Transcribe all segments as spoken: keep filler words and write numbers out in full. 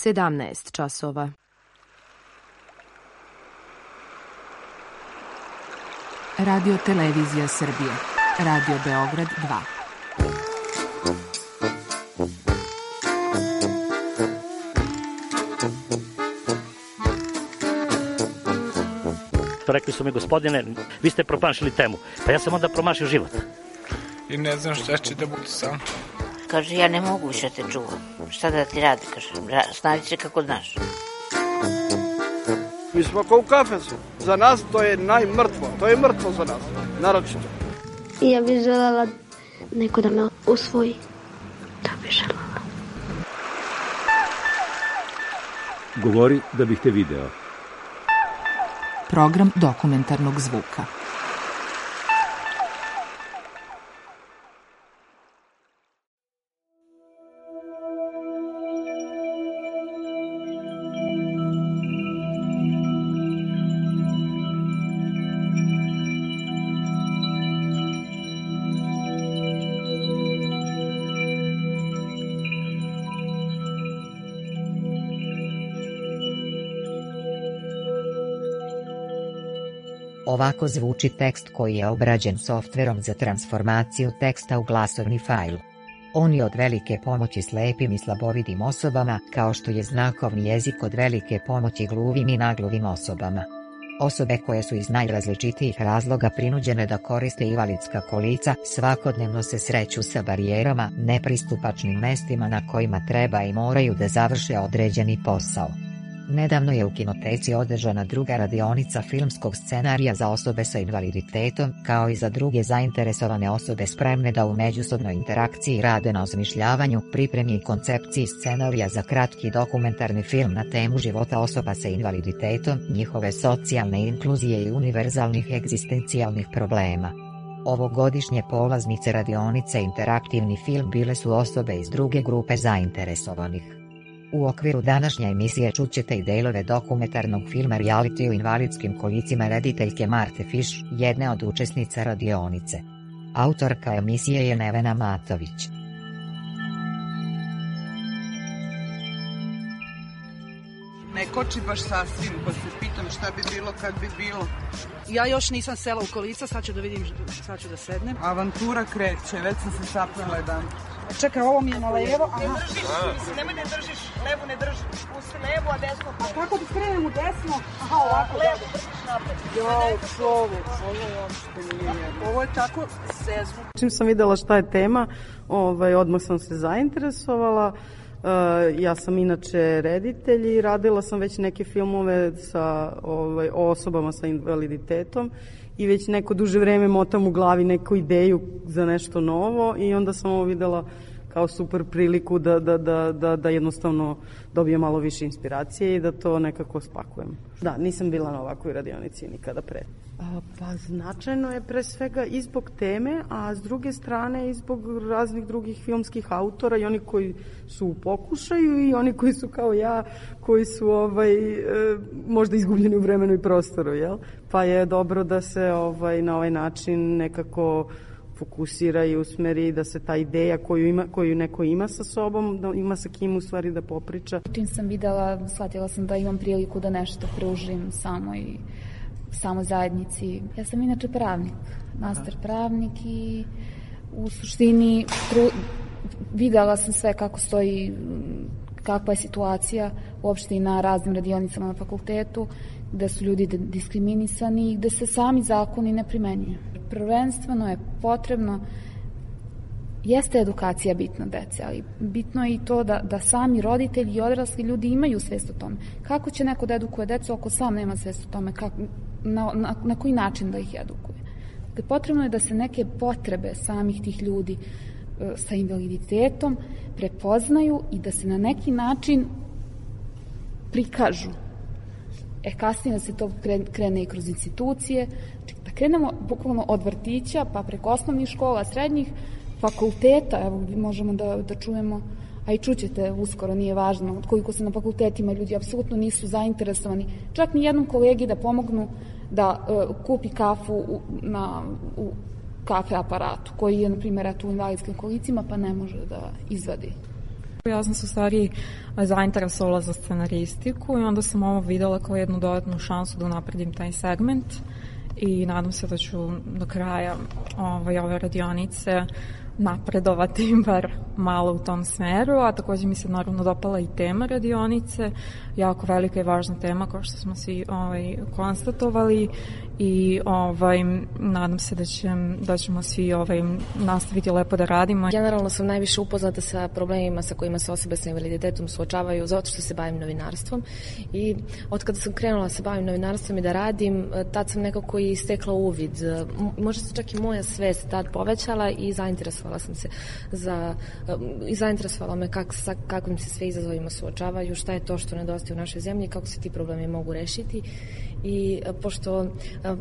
sedamnaest časova. Radio Televizija Srbije. Radio Beograd dva. Rekli su mi, gospodine, vi ste promašili temu. Pa ja sam onda promašio život. I ne znam šta će da bude sam. Kaže, ja ne mogu više te čuvam. Šta da ti radi, kaže, snađi se kako znaš. Mi smo kao u kafesu. Za nas to je najmrtvo. To je mrtvo za nas, naročito. Ja bih želela neko da me usvoji. To bih želela. Govori da bih te video. Program dokumentarnog zvuka. Ovako zvuči tekst koji je obrađen softverom za transformaciju teksta u glasovni fajl. On je od velike pomoći slepim i slabovidim osobama, kao što je znakovni jezik od velike pomoći gluvim i nagluvim osobama. Osobe koje su iz najrazličitijih razloga prinuđene da koriste invalidska kolica svakodnevno se sreću sa barijerama, nepristupačnim mestima na kojima treba i moraju da završe određeni posao. Nedavno je u kinoteci održana druga radionica filmskog scenarija za osobe sa invaliditetom, kao i za druge zainteresovane osobe spremne da u međusobnoj interakciji rade na osmišljavanju, pripremi i koncepciji scenarija za kratki dokumentarni film na temu života osoba sa invaliditetom, njihove socijalne inkluzije i univerzalnih egzistencijalnih problema. Ovogodišnje polaznice radionice interaktivni film bile su osobe iz druge grupe zainteresovanih. U okviru današnje emisije čućete i delove dokumentarnog filma Reality u invalidskim kolicima rediteljke Marte Fiš, jedne od učesnica radionice. Autorka emisije je Nevena Matović. Ne koči baš sasvim, pa se pitam šta bi bilo kad bi bilo. Ja još nisam sela u kolica, sad ću da vidim, sad ću da sednem. Avantura kreće, već sam se sapnala jedan. Čekaj, ovo mi je na levo. Ne držiš, mislim, nemoj ne držiš, levo ne držiš, pusti levo, a desno. A kako ti krenem u desno? Aha, ovako. Levo, držiš napred. Jo, čovek, ovo je uopšte nije jedno. Ovo je tako sezno. Čim sam videla šta je tema, ovaj, odmah sam se zainteresovala. Uh, ja sam inače reditelj i radila sam već neke filmove sa ovaj, osobama sa invaliditetom i već neko duže vreme motam u glavi neku ideju za nešto novo i onda sam ovo videla kao super priliku da, da, da, da, da jednostavno dobijem malo više inspiracije i da to nekako spakujem. Da, nisam bila na ovakvoj radionici nikada pre. A, pa značajno je pre svega i zbog teme, a s druge strane i zbog raznih drugih filmskih autora i oni koji su u pokušaju i oni koji su kao ja, koji su ovaj, e, možda izgubljeni u vremenu i prostoru, jel? Pa je dobro da se ovaj, na ovaj način nekako fokusira i usmeri da se ta ideja koju, ima, koju neko ima sa sobom, da ima sa kim u stvari da popriča. Čim sam videla, shvatila sam da imam priliku da nešto pružim samoj, samoj zajednici. Ja sam inače pravnik, master pravnik i u suštini tru, videla sam sve kako stoji, kakva je situacija uopšte i na raznim radionicama na fakultetu, gde su ljudi diskriminisani i gde se sami zakoni ne primenjuju. Prvenstveno je potrebno, jeste edukacija bitna dece, ali bitno je i to da, da sami roditelji i odrasli ljudi imaju svest o tome. Kako će neko da edukuje decu ako sam nema svest o tome, kako, na, na, na koji način da ih edukuje. Dakle, potrebno je da se neke potrebe samih tih ljudi e, sa invaliditetom prepoznaju i da se na neki način prikažu. E, kasnije da se to krene i kroz institucije, da krenemo bukvalno od vrtića, pa preko osnovnih škola, srednjih, fakulteta, evo možemo da, da čujemo, a i čućete uskoro, nije važno, od koliko se na fakultetima ljudi apsolutno nisu zainteresovani, čak ni jednom kolegi da pomognu da uh, kupi kafu u, na, u kafe aparatu, koji je, na primjer, u invalidskim kolicima, pa ne može da izvadi. Ja sam se u stvari zainteresovala za scenaristiku i onda sam ovo videla kao jednu dodatnu šansu da unapredim taj segment i nadam se da ću do kraja ovaj, ove radionice napredovati bar malo u tom smeru, a takođe mi se naravno dopala i tema radionice, jako velika i važna tema kao što smo svi ovaj, konstatovali i ovaj, nadam se da, će, da ćemo svi ovaj, nastaviti lepo da radimo. Generalno sam najviše upoznata sa problemima sa kojima se osobe sa invaliditetom suočavaju zato što se bavim novinarstvom i od kada sam krenula da se bavim novinarstvom i da radim, tad sam nekako i stekla uvid. Možda se čak i moja svest tad povećala i zainteresovala sam se za, i zainteresovala me kak, sa kakvim se sve izazovima suočavaju, šta je to što nedostaje u našoj zemlji, kako se ti problemi mogu rešiti. I pošto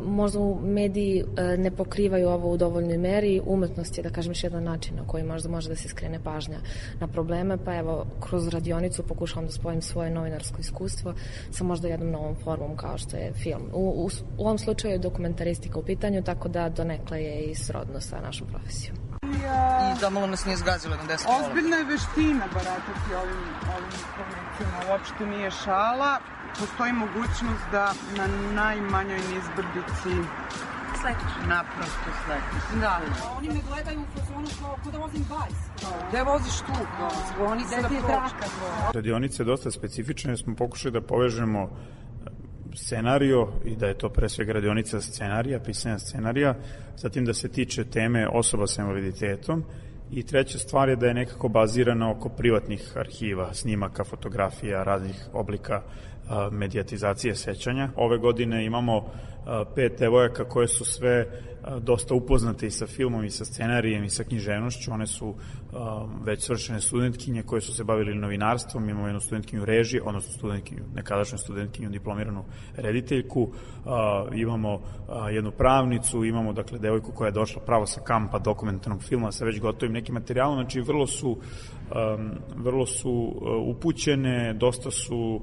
možda mediji ne pokrivaju ovo u dovoljnoj meri, umetnost je, da kažem, još jedan način na koji možda može da se skrene pažnja na probleme, pa evo, kroz radionicu pokušavam da spojim svoje novinarsko iskustvo sa možda jednom novom formom kao što je film. U, u, u ovom slučaju je dokumentaristika u pitanju, tako da donekle je i srodno sa našom profesijom. I da malo nas nije zgazilo na deset kola. Ozbiljna je veština baratati ovim, ovim informacijama, uopšte nije šala. Postoji mogućnost da na najmanjoj nizbrdici sletiš. Naprosto sletiš. Da. Oni me gledaju u fazonu kao ko da vozim bajs. Gde voziš tu? Zvoni se da pročka. Radionica je dosta specifična jer smo pokušali da povežemo scenario i da je to pre svega radionica scenarija, pisanja scenarija, zatim da se tiče teme osoba sa invaliditetom i treća stvar je da je nekako bazirana oko privatnih arhiva, snimaka, fotografija, raznih oblika medijatizacije sećanja. Ove godine imamo pet devojaka koje su sve dosta upoznate i sa filmom i sa scenarijem i sa književnošću. One su već svršene studentkinje koje su se bavili novinarstvom. Imamo jednu studentkinju režije, odnosno studentkinju, nekadašnju studentkinju, diplomiranu rediteljku. Imamo jednu pravnicu, imamo dakle devojku koja je došla pravo sa kampa dokumentarnog filma sa već gotovim nekim materijalom. Znači vrlo su, vrlo su upućene, dosta su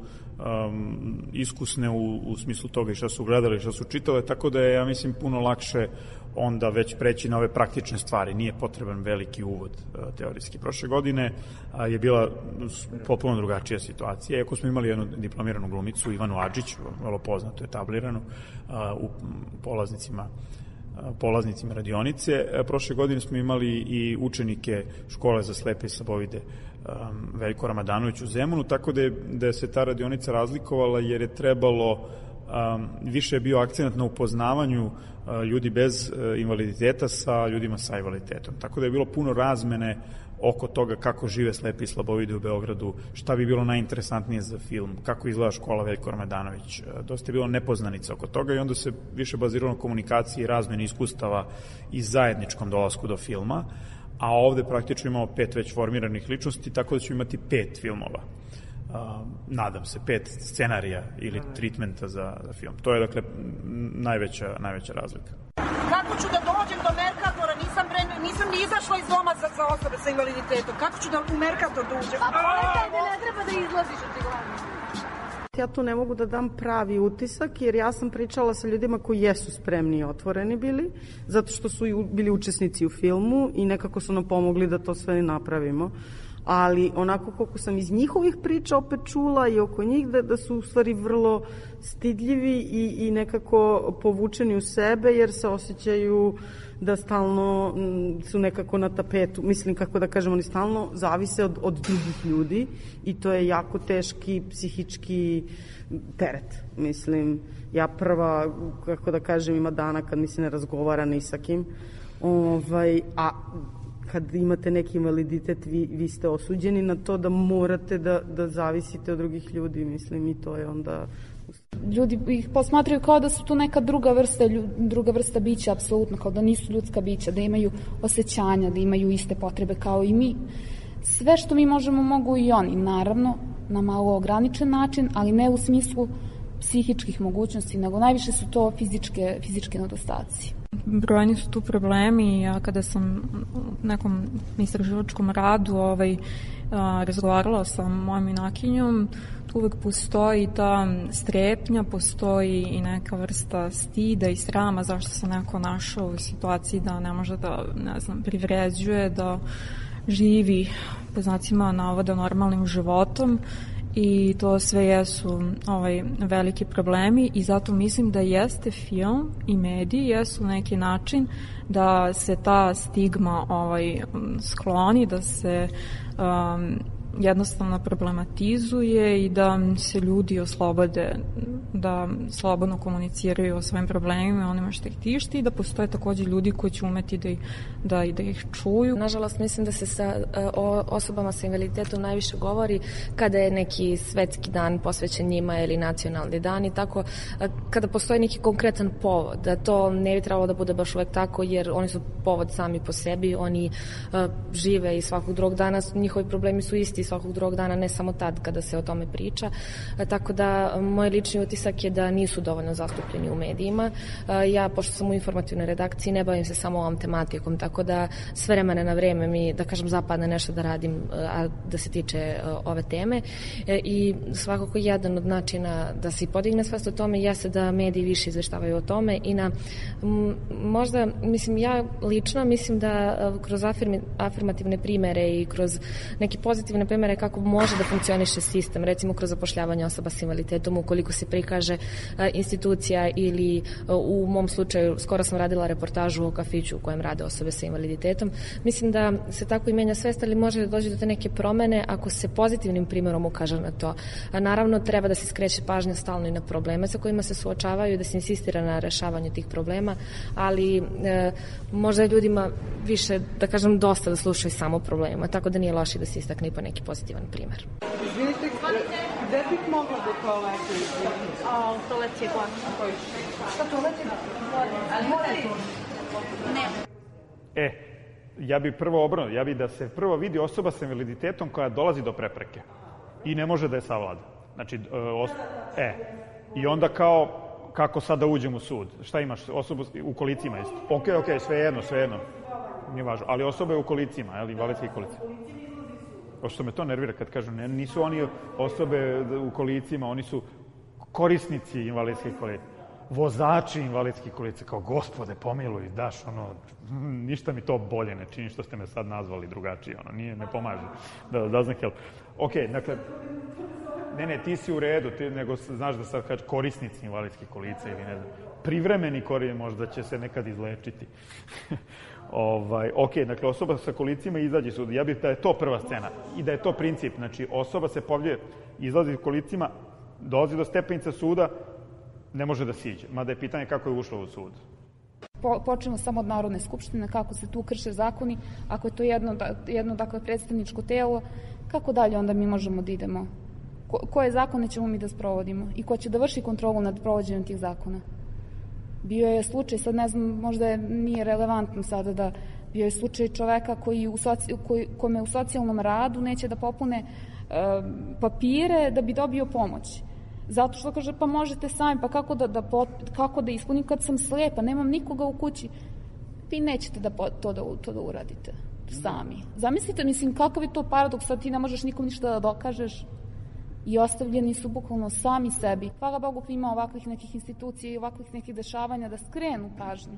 Um, iskusne u, u smislu toga i šta su gledali i šta su čitale, tako da je, ja mislim, puno lakše onda već preći na ove praktične stvari. Nije potreban veliki uvod uh, teorijski. Prošle godine uh, je bila potpuno drugačija situacija. Iako smo imali jednu diplomiranu glumicu, Ivanu Adžić, vrlo poznato, etabliranu, uh, u polaznicima polaznicima radionice. Prošle godine smo imali i učenike škole za slepe i slabovide um, Veljko Ramadanović u Zemunu, tako da je, da je se ta radionica razlikovala jer je trebalo, um, više je bio akcenat na upoznavanju uh, ljudi bez uh, invaliditeta sa ljudima sa invaliditetom. Tako da je bilo puno razmene oko toga kako žive slepi i slabovidi u Beogradu, šta bi bilo najinteresantnije za film, kako izgleda škola Veljko Ramadanović. Dosta je bilo nepoznanica oko toga i onda se više baziralo na komunikaciji i razmeni iskustava i zajedničkom dolasku do filma, a ovde praktično imamo pet već formiranih ličnosti, tako da ćemo imati pet filmova. Uh, nadam se, pet scenarija ili treatmenta za, za film. To je, dakle, najveća, najveća razlika. Kako ću da dođem do Merkatora? Nisam, pre, nisam ni izašla iz doma za, za osobe sa invaliditetom. Kako ću da u Merkator da uđem? A pojete da ne treba da izlaziš od Tiglavne. Ja tu ne mogu da dam pravi utisak, jer ja sam pričala sa ljudima koji jesu spremni i otvoreni bili, zato što su bili učesnici u filmu i nekako su nam pomogli da to sve napravimo. Ali onako koliko sam iz njihovih priča opet čula i oko njih da, da su u stvari vrlo stidljivi i, i nekako povučeni u sebe jer se osjećaju da stalno m, su nekako na tapetu. Mislim, kako da kažem, oni stalno zavise od, od drugih ljudi i to je jako teški psihički teret. Mislim, ja prva, kako da kažem, ima dana kad mi se ne razgovara ni sa kim. Ovaj, a kad imate neki invaliditet, vi, vi ste osuđeni na to da morate da, da zavisite od drugih ljudi, mislim, i to je onda... Ljudi ih posmatraju kao da su tu neka druga vrsta, druga vrsta bića, apsolutno, kao da nisu ljudska bića, da imaju osjećanja, da imaju iste potrebe kao i mi. Sve što mi možemo, mogu i oni, naravno, na malo ograničen način, ali ne u smislu psihičkih mogućnosti, nego najviše su to fizičke, fizičke nedostaci. Brojni su tu problemi. Ja kada sam u nekom istraživačkom radu ovaj, a, razgovarala sa mojom junakinjom, tu uvek postoji ta strepnja, postoji i neka vrsta stida i srama zašto se neko našao u situaciji da ne može da, ne znam, privređuje, da živi po znacima navoda normalnim životom i to sve jesu ovaj, veliki problemi i zato mislim da jeste film i mediji jesu neki način da se ta stigma ovaj, skloni, da se um, jednostavno problematizuje i da se ljudi oslobode, da slobodno komuniciraju o svojim problemima, onima što ih tišti i da postoje takođe ljudi koji će umeti da, da, da ih čuju. Nažalost, mislim da se sa o, osobama sa invaliditetom najviše govori kada je neki svetski dan posvećen njima ili nacionalni dan i tako, kada postoji neki konkretan povod, da to ne bi trebalo da bude baš uvek tako, jer oni su povod sami po sebi, oni a, žive i svakog drugog dana, njihovi problemi su isti svakog drugog dana, ne samo tad kada se o tome priča. A, tako da moj lični utisak je da nisu dovoljno zastupljeni u medijima. A, ja, pošto sam u informativnoj redakciji, ne bavim se samo ovom tematikom, tako da sve vremena na vreme mi, da kažem, zapadne nešto da radim, a da se tiče a, ove teme. E, I svakako jedan od načina da se podigne svest o tome jeste da mediji više izveštavaju o tome i na m, možda, mislim, ja lično mislim da a, kroz afirmi, afirmativne primere i kroz neke pozitivne primere kako može da funkcioniše sistem, recimo kroz zapošljavanje osoba s invaliditetom, ukoliko se prikaže a, institucija ili a, u mom slučaju skoro sam radila reportažu o kafiću u kojem rade osobe sa invaliditetom. Mislim da se tako i menja svest, ali može da dođe do te neke promene ako se pozitivnim primjerom ukaže na to. A naravno, treba da se skreće pažnja stalno i na probleme sa kojima se suočavaju, da se insistira na rešavanju tih problema, ali e, možda je ljudima više, da kažem, dosta da slušaju samo o problemima, tako da nije loše da se istakne i po neki pozitivan primer. Izvinite, gde bih mogla do toalete? A, toalet je gori. Šta toalet je gori? Ali mora to? Ne. E, ja bi prvo obrnuo, ja bi da se prvo vidi osoba sa invaliditetom koja dolazi do prepreke i ne može da je savlada. Znači, e, os, e, i onda kao, kako sad da uđem u sud? Šta imaš? Osobu u kolicima isto. Ok, ok, sve jedno, sve jedno. Nije važno. Ali osoba je u kolicima, jel, invalidski kolici. Što me to nervira kad kažu, ne, nisu oni osobe u kolicima, oni su korisnici invalidskih kolica. Vozači invalidskih kolica, kao gospode, pomiluj, daš, ono, ništa mi to bolje ne čini što ste me sad nazvali drugačije, ono, nije, ne pomaže. Da, doesn't help. Ok, dakle, ne, ne, ti si u redu, ti, nego znaš da sad kaži korisnici invalidskih kolica ili ne znam, privremeni korisnici možda će se nekad izlečiti. Ovaj, ok, dakle, osoba sa kolicima izađe sud. Ja bih da je to prva scena i da je to princip. Znači, osoba se povlje, izlazi kolicima, dolazi do stepenica suda, ne može da siđe. Mada je pitanje kako je ušlo u sud. Po, počnemo samo od Narodne skupštine, kako se tu krše zakoni. Ako je to jedno, jedno dakle, predstavničko telo, kako dalje onda mi možemo da idemo? Ko, koje zakone ćemo mi da sprovodimo? I ko će da vrši kontrolu nad provođenjem tih zakona? Bio je slučaj, sad ne znam, možda je, nije relevantno sada da bio je slučaj čoveka koji u soci, koji, kome u socijalnom radu neće da popune e, papire da bi dobio pomoć. Zato što kaže, pa možete sami, pa kako da, da, kako da ispunim kad sam slepa, nemam nikoga u kući. Vi nećete da to da, to da uradite sami. Zamislite, mislim, kakav je to paradoks, sad ti ne možeš nikom ništa da dokažeš i ostavljeni su bukvalno sami sebi. Hvala Bogu ima ovakvih nekih institucija i ovakvih nekih dešavanja da skrenu pažnju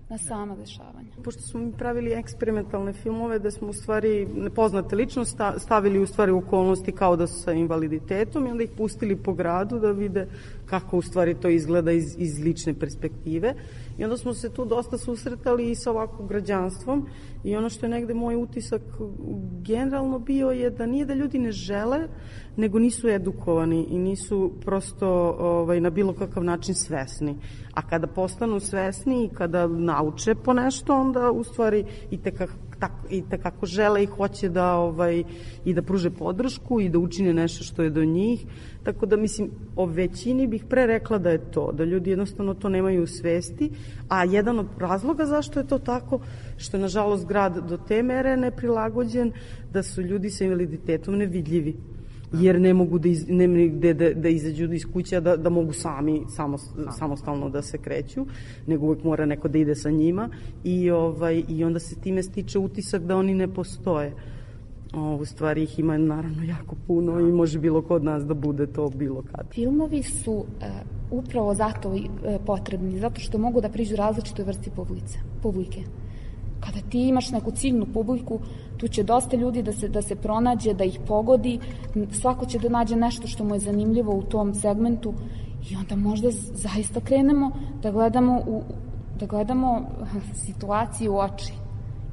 na sama dešavanja. Pošto smo mi pravili eksperimentalne filmove da smo u stvari nepoznate ličnosti stavili u stvari okolnosti kao da su sa invaliditetom i onda ih pustili po gradu da vide kako u stvari to izgleda iz, iz lične perspektive. I onda smo se tu dosta susretali i sa ovakvim građanstvom i ono što je negde moj utisak generalno bio je da nije da ljudi ne žele, nego nisu edukovani i nisu prosto ovaj, na bilo kakav način svesni. A kada postanu svesni i kada nauče po nešto, onda u stvari i tekako, tako, i tekako žele i hoće da, ovaj, i da pruže podršku i da učine nešto što je do njih. Tako da, mislim, o većini bih pre rekla da je to, da ljudi jednostavno to nemaju u svesti, a jedan od razloga zašto je to tako, što je, nažalost, grad do te mere neprilagođen, da su ljudi sa invaliditetom nevidljivi, jer ne mogu da, iz, ne, da, da, da izađu iz kuća, da, da mogu sami, samo, samostalno da se kreću, nego uvek mora neko da ide sa njima i, ovaj, i onda se time stiče utisak da oni ne postoje. O, u stvari ih ima naravno jako puno i može bilo kod nas da bude to bilo kad. Filmovi su uh, upravo zato uh, potrebni, zato što mogu da priđu različitoj vrsti publice, publike. Kada ti imaš neku ciljnu publiku, tu će dosta ljudi da se, da se pronađe, da ih pogodi, svako će da nađe nešto što mu je zanimljivo u tom segmentu i onda možda zaista krenemo da gledamo, u, da gledamo situaciju u oči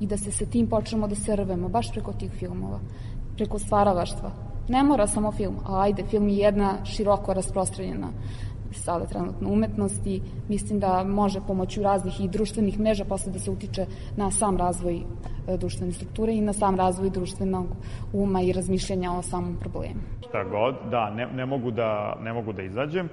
i da se sa tim počnemo da se rvemo, baš preko tih filmova, preko stvaralaštva. Ne mora samo film, a ajde, film je jedna široko rasprostranjena sada trenutno umetnost i mislim da može pomoću raznih i društvenih mreža posle da se utiče na sam razvoj e, društvene strukture i na sam razvoj društvenog uma i razmišljanja o samom problemu. Šta god, da, ne, ne, mogu da, ne mogu da izađem.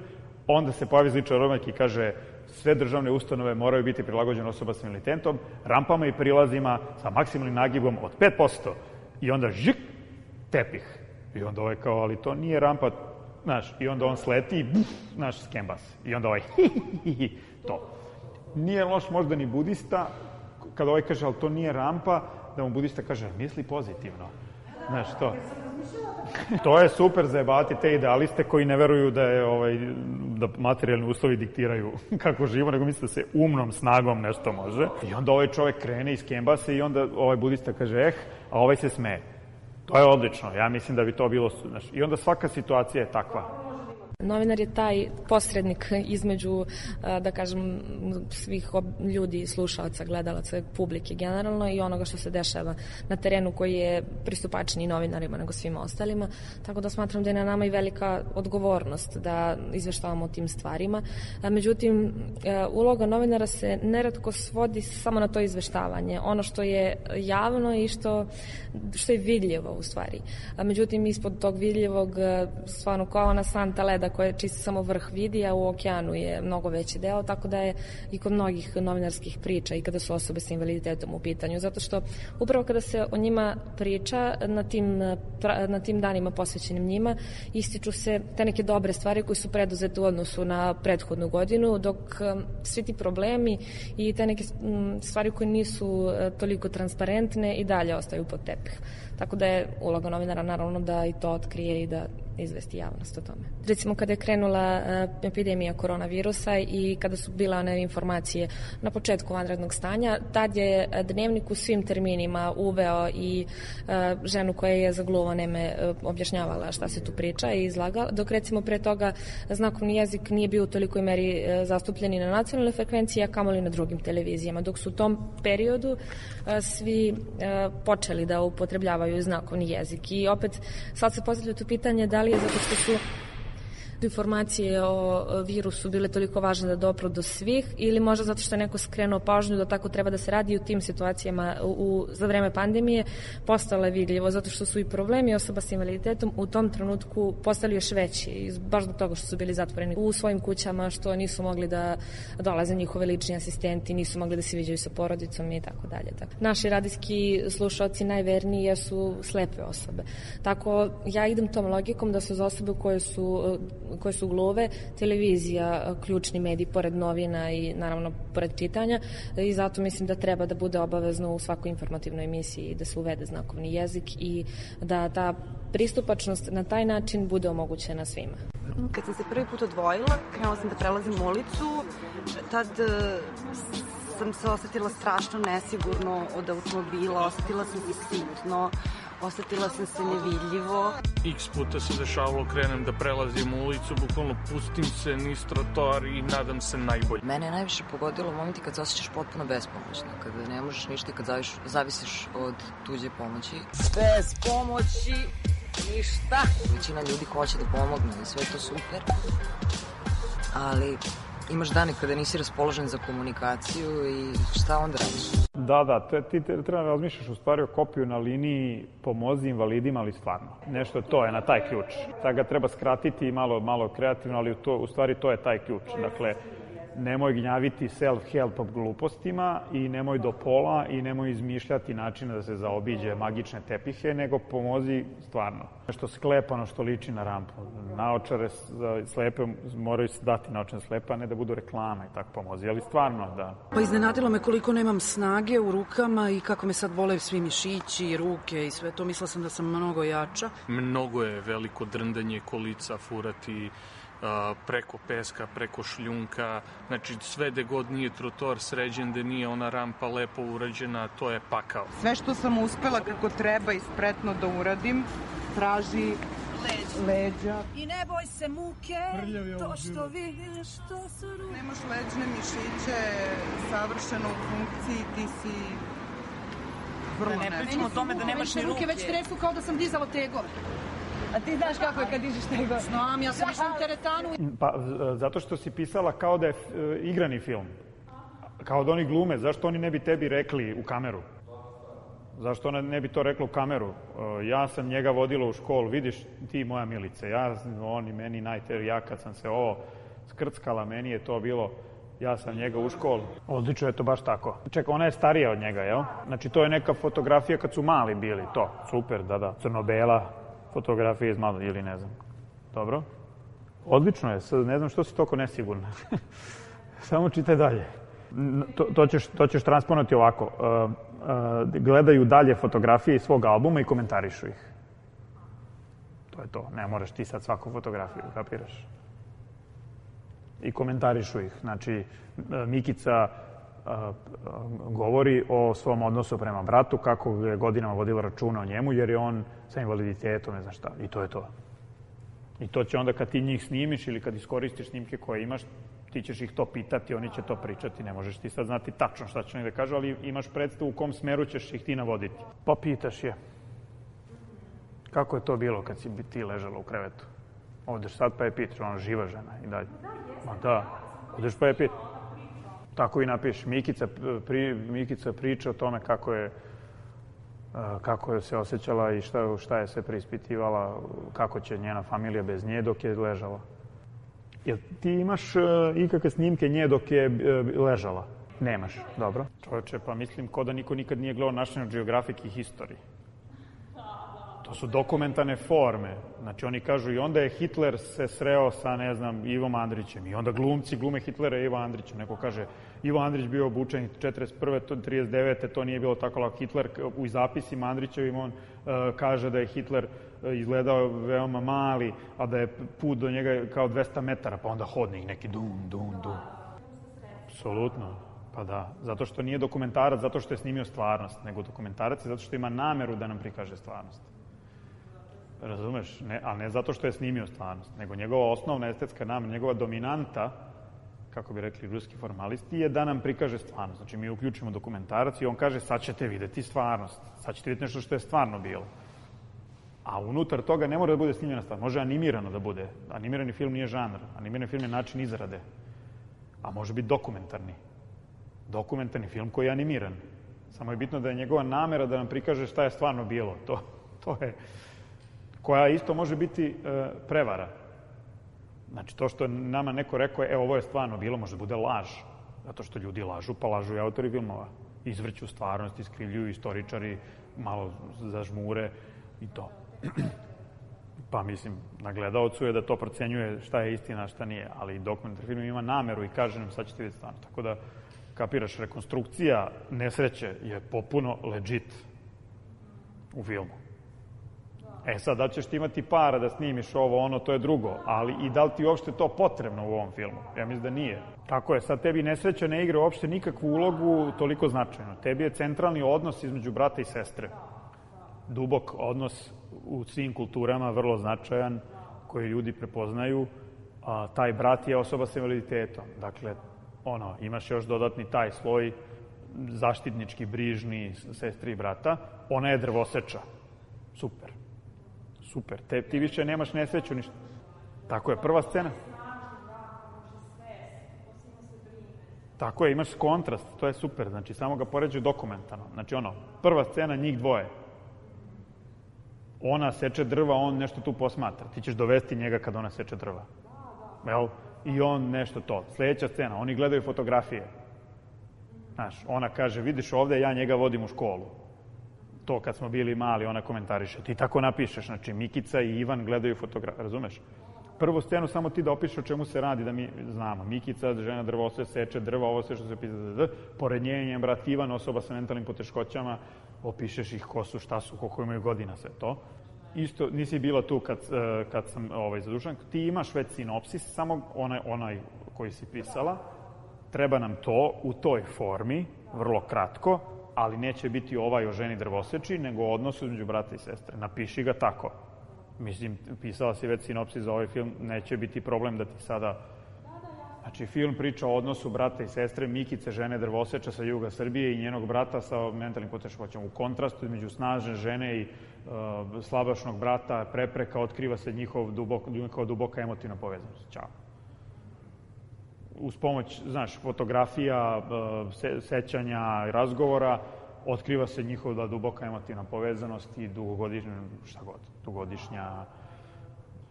Onda se pojavi Zličar Romak i kaže sve državne ustanove moraju biti prilagođene osoba s invaliditetom, rampama i prilazima sa maksimalnim nagibom od pet posto. I onda žik, tepih. I onda ovaj kao, ali to nije rampa, znaš, i onda on sleti i buf, znaš, skembas. I onda ovaj, hi, hi, hi, to. Nije loš možda ni budista, kada ovaj kaže, ali to nije rampa, da mu budista kaže, misli pozitivno. Znaš, to. To je super zajebati te idealiste koji ne veruju da je ovaj da materijalni uslovi diktiraju kako živo, nego misle da se umnom snagom nešto može. I onda ovaj čovek krene iz kembase i onda ovaj budista kaže eh, a ovaj se smeje. To je odlično. Ja mislim da bi to bilo, znaš, i onda svaka situacija je takva. Novinar je taj posrednik između, da kažem, svih ljudi, slušalaca, gledalaca, publike generalno i onoga što se dešava na terenu koji je pristupačniji novinarima nego svima ostalima. Tako da smatram da je na nama i velika odgovornost da izveštavamo o tim stvarima. Međutim, uloga novinara se neretko svodi samo na to izveštavanje. Ono što je javno i što, što je vidljivo u stvari. Međutim, ispod tog vidljivog, stvarno kao ona santa leda koje čisto samo vrh vidi, a u okeanu je mnogo veći deo, tako da je i kod mnogih novinarskih priča i kada su osobe sa invaliditetom u pitanju, zato što upravo kada se o njima priča na tim, na tim danima posvećenim njima, ističu se te neke dobre stvari koje su preduzete u odnosu na prethodnu godinu, dok svi ti problemi i te neke stvari koje nisu toliko transparentne i dalje ostaju pod tepih. Tako da je uloga novinara naravno da i to otkrije i da izvesti javnost o tome. Recimo kada je krenula uh, epidemija koronavirusa i kada su bile one informacije na početku vanrednog stanja, tad je Dnevnik u svim terminima uveo i uh, ženu koja je za gluvo neme uh, objašnjavala šta se tu priča i izlagala, dok recimo pre toga znakovni jezik nije bio u tolikoj meri uh, zastupljen na nacionalnoj frekvenciji, a kamoli na drugim televizijama, dok su u tom periodu uh, svi uh, počeli da upotrebljavaju znakovni jezik. I opet sad se postavlja to pitanje da li je zato što su informacije o virusu bile toliko važne da dopru do svih ili možda zato što je neko skrenuo pažnju da tako treba da se radi u tim situacijama u, za vreme pandemije postalo je vidljivo zato što su i problemi osoba sa invaliditetom u tom trenutku postali još veći baš zbog toga što su bili zatvoreni u svojim kućama, što nisu mogli da dolaze njihove lični asistenti, nisu mogli da se viđaju sa porodicom i tako dalje. Naši radijski slušalci najverniji jesu slepe osobe. Tako ja idem tom logikom da su za osobe koje su koje su gluve, televizija ključni medij pored novina i naravno pored čitanja i zato mislim da treba da bude obavezno u svakoj informativnoj emisiji da se uvede znakovni jezik i da ta pristupačnost na taj način bude omogućena svima. Kad sam se prvi put odvojila, krenula sam da prelazim ulicu, tad sam se osetila strašno nesigurno od automobila, osetila sam se sitno, osetila sam se nevidljivo. X puta se dešavalo, krenem da prelazim ulicu, bukvalno pustim se niz trotoar i nadam se najbolje. Mene je najviše pogodilo u momenti kad se osjećaš potpuno bespomoćno, kada ne možeš ništa i kad zaviš, zavisiš od tuđe pomoći. Bez pomoći ništa. Većina ljudi hoće da pomogne i sve to super, ali imaš dane kada nisi raspoložen za komunikaciju i šta onda radiš? Da, da, te, ti te, treba razmišljaš u stvari o kopiju na liniji pomozi invalidima, ali stvarno. Nešto to je na taj ključ. Sada ga treba skratiti malo, malo kreativno, ali to, u stvari to je taj ključ. Dakle, nemoj gnjaviti self-help glupostima i nemoj do pola i nemoj izmišljati načine da se zaobiđe magične tepihe, nego pomozi stvarno. Nešto sklepano što liči na rampu. Naočare za slepe moraju se dati naočare slepe, a ne da budu reklame i tako pomozi, ali stvarno da. Pa iznenadilo me koliko nemam snage u rukama i kako me sad bole svi mišići i ruke i sve to. Mislila sam da sam mnogo jača. Mnogo je veliko drndanje kolica, furati preko peska, preko šljunka, znači sve gde god nije trotoar sređen, gde nije ona rampa lepo urađena, to je pakao. Sve što sam uspela kako treba i spretno da uradim, traži leđa. leđa. I ne boj se muke, to što vidiš, to su ruke. Nemaš leđne mišiće savršeno u funkciji, ti si vrlo ne. Ne pričamo o tome da nemaš ni ruke. Već tresu kao da sam dizala tegove. A ti znaš kako je kad dižeš tegove? Znam, ja sam išla u teretanu. Pa, zato što si pisala kao da je igrani film. Kao da oni glume. Zašto oni ne bi tebi rekli u kameru? Zašto ona ne bi to rekla u kameru? Ja sam njega vodila u školu, vidiš ti moja Milice, ja, oni meni najteži, ja kad sam se ovo skrckala, meni je to bilo, ja sam njega u školu. Odlično je to baš tako. Čekaj, ona je starija od njega, jel? Znači to je neka fotografija kad su mali bili, to, super, da, da, crno-bela fotografija iz malo, ili ne znam. Dobro? Odlično je, sad ne znam što si toliko nesigurna. Samo čitaj dalje. To, to, ćeš, to ćeš transponovati ovako. Uh, uh, gledaju dalje fotografije iz svog albuma i komentarišu ih. To je to. Ne moraš ti sad svaku fotografiju, kapiraš? I komentarišu ih. Znači, Mikica uh, uh, govori o svom odnosu prema bratu, kako je godinama vodila računa o njemu, jer je on sa invaliditetom, ne znam šta. I to je to. I to će onda kad ti njih snimiš ili kad iskoristiš snimke koje imaš, ti ćeš ih to pitati, oni će to pričati, ne možeš ti sad znati tačno šta će oni da kažu, ali imaš predstavu u kom smeru ćeš ih ti navoditi. Pa pitaš je, kako je to bilo kad si ti ležala u krevetu? Odeš sad pa je pitaš, ona živa žena i dalje. Ma da, odeš pa je pitaš. Tako i napiš, Mikica, pri, Mikica priča o tome kako je kako je se osjećala i šta, šta je se preispitivala, kako će njena familija bez nje dok je ležala. Jel ti imaš uh, ikakve snimke nje dok je uh, ležala? Nemaš, dobro. Čovječe, pa mislim ko da niko nikad nije gledao National Geographic i History. To su dokumentarne forme. Znači oni kažu i onda je Hitler se sreo sa, ne znam, Ivom Andrićem. I onda glumci glume Hitlera i Ivo Andrićem. Neko kaže, Ivo Andrić bio obučen četrdeset prve do trideset devete to nije bilo tako lako. Hitler u zapisima Andrićevim on uh, kaže da je Hitler uh, izgledao veoma mali, a da je put do njega kao dvesta metara, pa onda hodnik neki dum, dum, dum. Apsolutno. Pa da, zato što nije dokumentarac, zato što je snimio stvarnost, nego dokumentarac je zato što ima nameru da nam prikaže stvarnost. Razumeš? Ne, ali ne zato što je snimio stvarnost, nego njegova osnovna estetska namera, njegova dominanta, kako bi rekli ruski formalisti, je da nam prikaže stvarnost. Znači, mi uključimo dokumentarac i on kaže, sad ćete videti stvarnost. Sad ćete vidjeti nešto što je stvarno bilo. A unutar toga ne mora da bude snimljena stvar. Može animirano da bude. Animirani film nije žanr. Animirani film je način izrade. A može biti dokumentarni. Dokumentarni film koji je animiran. Samo je bitno da je njegova namera da nam prikaže šta je stvarno bilo. To, to je... koja isto može biti e, prevara. Znači, to što nama neko rekao je, evo, ovo je stvarno bilo, može da bude laž. Zato što ljudi lažu, pa lažu i autori filmova. Izvrću stvarnost, iskrivljuju istoričari, malo zažmure i to. Pa, mislim, na gledaocu je da to procenjuje šta je istina, šta nije. Ali dokumentarni film ima nameru i kaže nam, sad ćete vidjeti stvarno. Tako da, kapiraš, rekonstrukcija nesreće je popuno legit u filmu. E sad, da ćeš ti imati para da snimiš ovo, ono, to je drugo. Ali i da li ti uopšte to potrebno u ovom filmu? Ja mislim da nije. Tako je, sad tebi nesreća ne igra uopšte nikakvu ulogu toliko značajno. Tebi je centralni odnos između brata i sestre. Dubok odnos u svim kulturama, vrlo značajan, koji ljudi prepoznaju. A, taj brat je osoba sa invaliditetom. Dakle, ono, imaš još dodatni taj sloj zaštitnički, brižni sestri i brata. Ona je drvoseča. Super. Super. Te, ti više nemaš nesreću ništa. Tako je, prva scena. Tako je, imaš kontrast, to je super. Znači, samo ga poređaju dokumentarno. Znači, ono, prva scena, njih dvoje. Ona seče drva, on nešto tu posmatra. Ti ćeš dovesti njega kad ona seče drva. Jel? I on nešto to. Sljedeća scena, oni gledaju fotografije. Znaš, ona kaže, vidiš ovde, ja njega vodim u školu. To kad smo bili mali, ona komentariše. Ti tako napišeš, znači Mikica i Ivan gledaju fotografije, razumeš? Prvu scenu samo ti da opišeš o čemu se radi, da mi znamo. Mikica, žena drvosve, seče drva, ovo sve što se pisa, pored nje njen brat Ivan, osoba sa mentalnim poteškoćama, opišeš ih ko su, šta su, koliko imaju godina, sve to. isto, nisi bila tu kad, kad sam ovaj, zadužen, ti imaš već sinopsis, samo onaj, onaj koji si pisala, treba nam to u toj formi, vrlo kratko, ali neće biti ovaj o ženi drvoseči, nego o odnosu između brata i sestre. Napiši ga tako. Mislim, pisala si već sinopsis za ovaj film, neće biti problem da ti sada... Znači, film priča o odnosu brata i sestre, Mikice, žene drvoseča sa juga Srbije i njenog brata sa mentalnim poteškoćama. U kontrastu između snažne žene i uh, slabašnog brata, prepreka, otkriva se njihov dubok, njihova duboka emotivna povezanost. Ćao. Uz pomoć, znaš, fotografija, uh, se, sećanja i razgovora, otkriva se njihova duboka emotivna povezanost i dugogodišnja, šta god, dugogodišnja,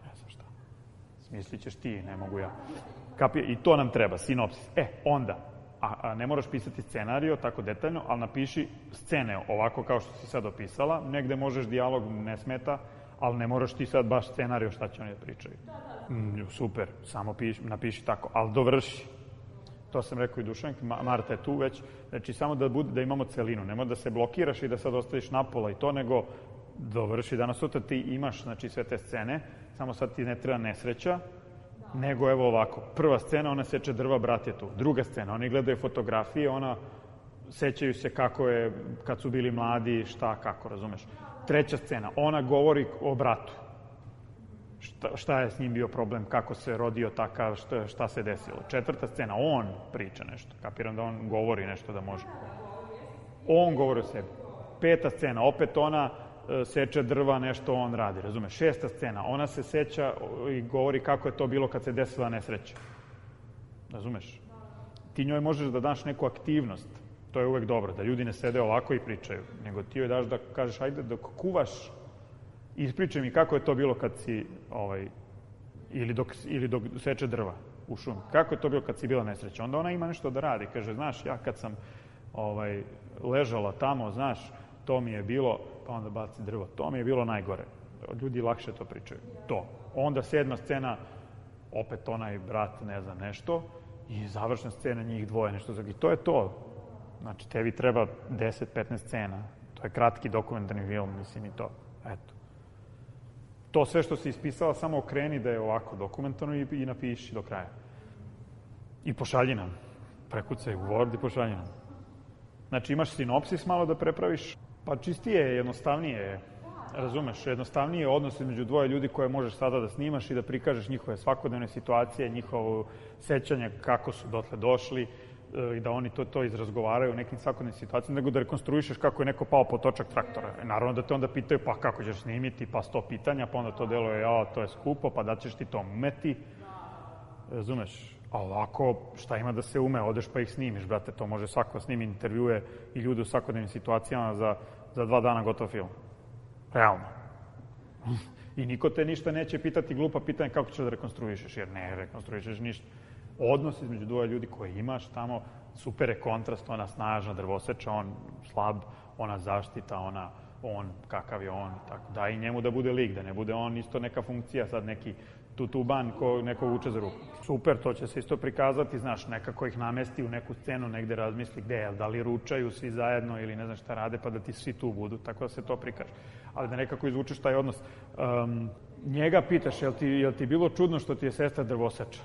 ne znam šta, smislit ćeš ti, ne mogu ja. Kapije, i to nam treba, sinopsis. E, onda, a, a ne moraš pisati scenario tako detaljno, ali napiši scene ovako kao što si sad opisala, negde možeš dijalog, ne smeta, ali ne moraš ti sad baš scenario šta će oni da pričaju. Mm, super, samo piši, napiši tako, ali dovrši. To sam rekao i Dušanki, Marta je tu već, znači samo da, bude, da imamo celinu, nemoj da se blokiraš i da sad ostaviš napola i to, nego dovrši. Danas sutra ti imaš, znači, sve te scene, samo sad ti ne treba nesreća, nego evo ovako, prva scena, ona seče drva, brat je tu. Druga scena, oni gledaju fotografije, ona sećaju se kako je, kad su bili mladi, šta, kako, razumeš. Treća scena, ona govori o bratu. Šta, šta je s njim bio problem, kako se rodio takav, šta, šta se desilo. Četvrta scena, on priča nešto. Kapiram da on govori nešto da može. On govori o sebi. Peta scena, opet ona seče drva, nešto on radi, razumeš? Šesta scena, ona se seća i govori kako je to bilo kad se desila nesreća. Razumeš? Ti njoj možeš da daš neku aktivnost, to je uvek dobro, da ljudi ne sede ovako i pričaju, nego ti joj daš da kažeš, ajde dok kuvaš, ispričaj mi kako je to bilo kad si, ovaj, ili dok, ili dok seče drva u šumi. Kako je to bilo kad si bila nesreća? Onda ona ima nešto da radi, kaže, znaš, ja kad sam ovaj, ležala tamo, znaš, to mi je bilo, pa onda baci drvo, to mi je bilo najgore. Ljudi lakše to pričaju. To. Onda sedma scena, opet onaj brat ne zna nešto, i završna scena njih dvoje nešto. I to je to. Znači, tebi treba deset do petnaest scena. To je kratki dokumentarni film, mislim i to. Eto. To sve što si ispisala, samo okreni da je ovako dokumentarno i, i napiši do kraja. I pošalji nam. Prekucaj u Word i pošalji nam. Znači, imaš sinopsis malo da prepraviš, pa čistije je, jednostavnije je, razumeš, jednostavnije je odnos između dvoje ljudi koje možeš sada da snimaš i da prikažeš njihove svakodnevne situacije, njihovo sećanje kako su dotle došli i da oni to, to izrazgovaraju u nekim svakodnevnim situacijama, nego da rekonstruišeš kako je neko pao pod točak traktora. Naravno da te onda pitaju, pa kako ćeš snimiti, pa sto pitanja, pa onda to deluje, ja, to je skupo, pa da ćeš ti to umeti, razumeš? A ovako, šta ima da se ume, odeš pa ih snimiš, brate, to može svako snimi intervjue i ljude u svakodnevnim situacijama za, za dva dana gotov film. Realno. I niko te ništa neće pitati glupa pitanja kako ćeš da rekonstruišeš, jer ne rekonstruišeš ništa. Odnos između dvoje ljudi koje imaš tamo, super je kontrast, ona snažna drvoseča, on slab, ona zaštita, ona, on, kakav je on, tako. Da i njemu da bude lik, da ne bude on isto neka funkcija, sad neki tutuban ko neko vuče za ruku. Super, to će se isto prikazati, znaš, nekako ih namesti u neku scenu, negde razmisli gde je, da li ručaju svi zajedno ili ne znam šta rade, pa da ti svi tu budu, tako da se to prikaže. Ali da nekako izvučeš taj odnos. Um, njega pitaš, jel ti, jel ti bilo čudno što ti je sestra drvoseča?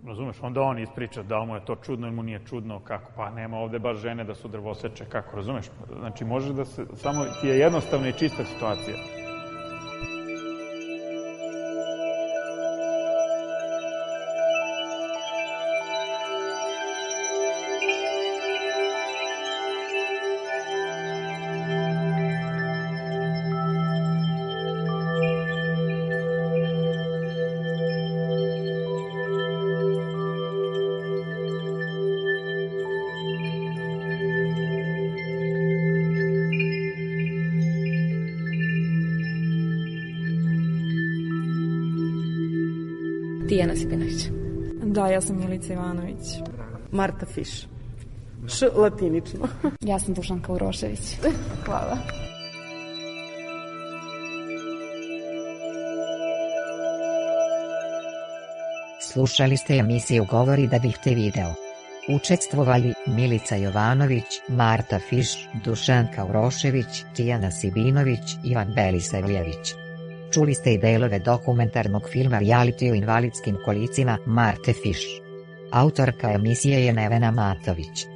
Razumeš, onda on ispriča da li mu je to čudno ili mu nije čudno, kako, pa nema ovde baš žene da su drvoseče, kako, razumeš? Znači, može da se, samo ti je jednostavna i čista situacija. Tijana Sipinović. Da, ja sam Milica Ivanović. Marta Fiš. Š latinično. Ja sam Dušanka Urošević. Hvala. Slušali ste emisiju Govori da bih te video. Učestvovali Milica Jovanović, Marta Fiš, Dušanka Urošević, Tijana Sibinović, Ivan Belisavljević. Čuli ste i delove dokumentarnog filma Reality o invalidskim kolicima Marte Fiš. Autorka emisije je Nevena Matović.